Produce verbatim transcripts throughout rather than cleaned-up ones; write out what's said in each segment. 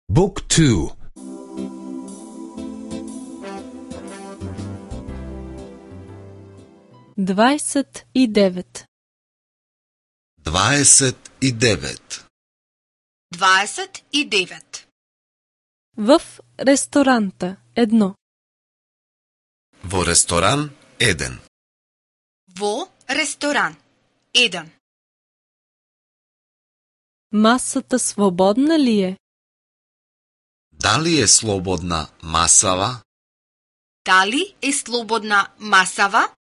Book two. дваесет и девет. дваесет и девет. дваесет и девет. В ресторанта едно. Во ресторан еден. Во ресторан еден. Масата свободна ли е? Дали е слободна масава? Дали е слободна масава?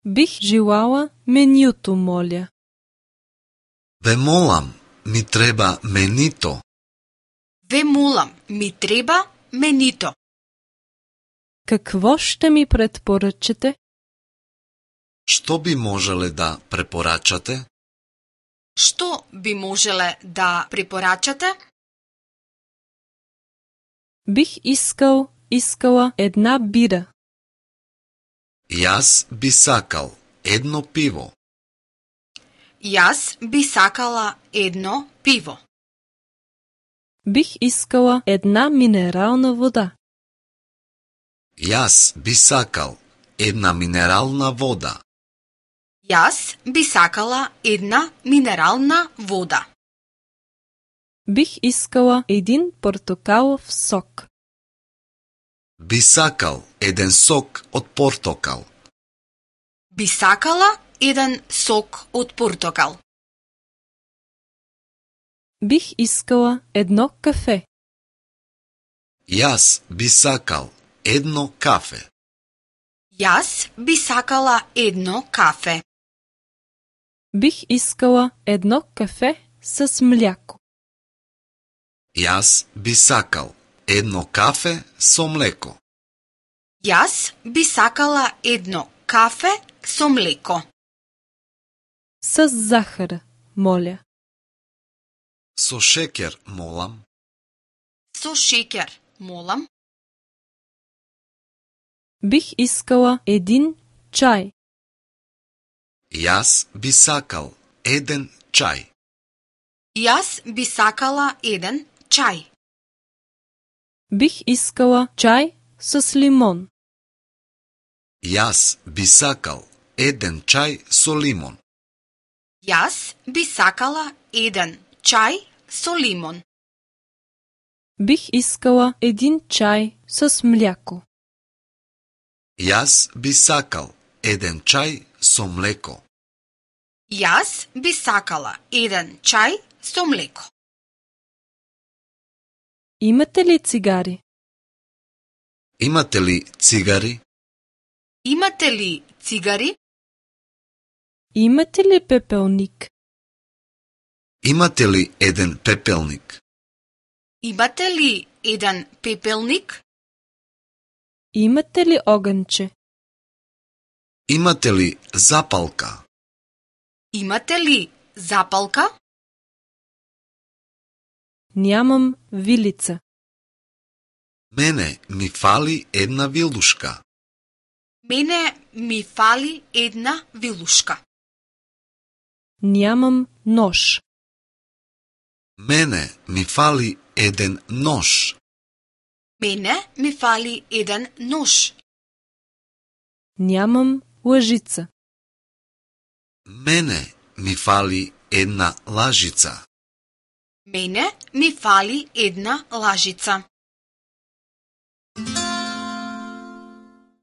Бих желала менюто, моля. Ве молам, ми треба менито. Ве молам, ми треба менито. Какво ще ми предпоръчате? Што би можеле да препорачате? Што би можеле да препорачате? Бих искал, искала една бира. Јас би сакал едно пиво. Јас би сакала едно пиво. Бих искала една минерална вода. Јас би сакал една минерална вода. Јас би сакала една минерална вода. Бих искала един портокалов сок. Би сакал еден сок од портокал. Би сакала еден сок од портокал. Бих искала едно кафе. Јас би сакал едно кафе. Јас би сакала едно кафе. Бих искала едно кафе с мляко. Јас би сакал едно кафе со млеко. Јас би сакала едно кафе со млеко. С захар, моля. Со шеќер, молам. Со шеќер, молам. Бих искала един чај. Јас би сакал еден чај. Јас би сакала еден чај. Бих искала чај с лимон. Јас би сакал еден чај со лимон. Јас би сакала еден чај со лимон. Бих искала един чај с мляко. Јас би сакал еден чај со млеко. Јас би сакала еден чај со млеко. Имате ли цигари? Имате ли цигари? Имате ли цигари? Имате ли пепелник? Имате ли еден пепелник? Имате ли еден пепелник? Имате ли огънче? Имате ли запалка? Имате ли запалка? Нямам вилица. Мене ми фали една вилушка. Мене ми фали една вилушка. Нямам нож. Мене ми фали еден нож. Мене ми фали еден нож. Нямам лъжица. Мене ми фали една лажица. Мене ми фали една лажица.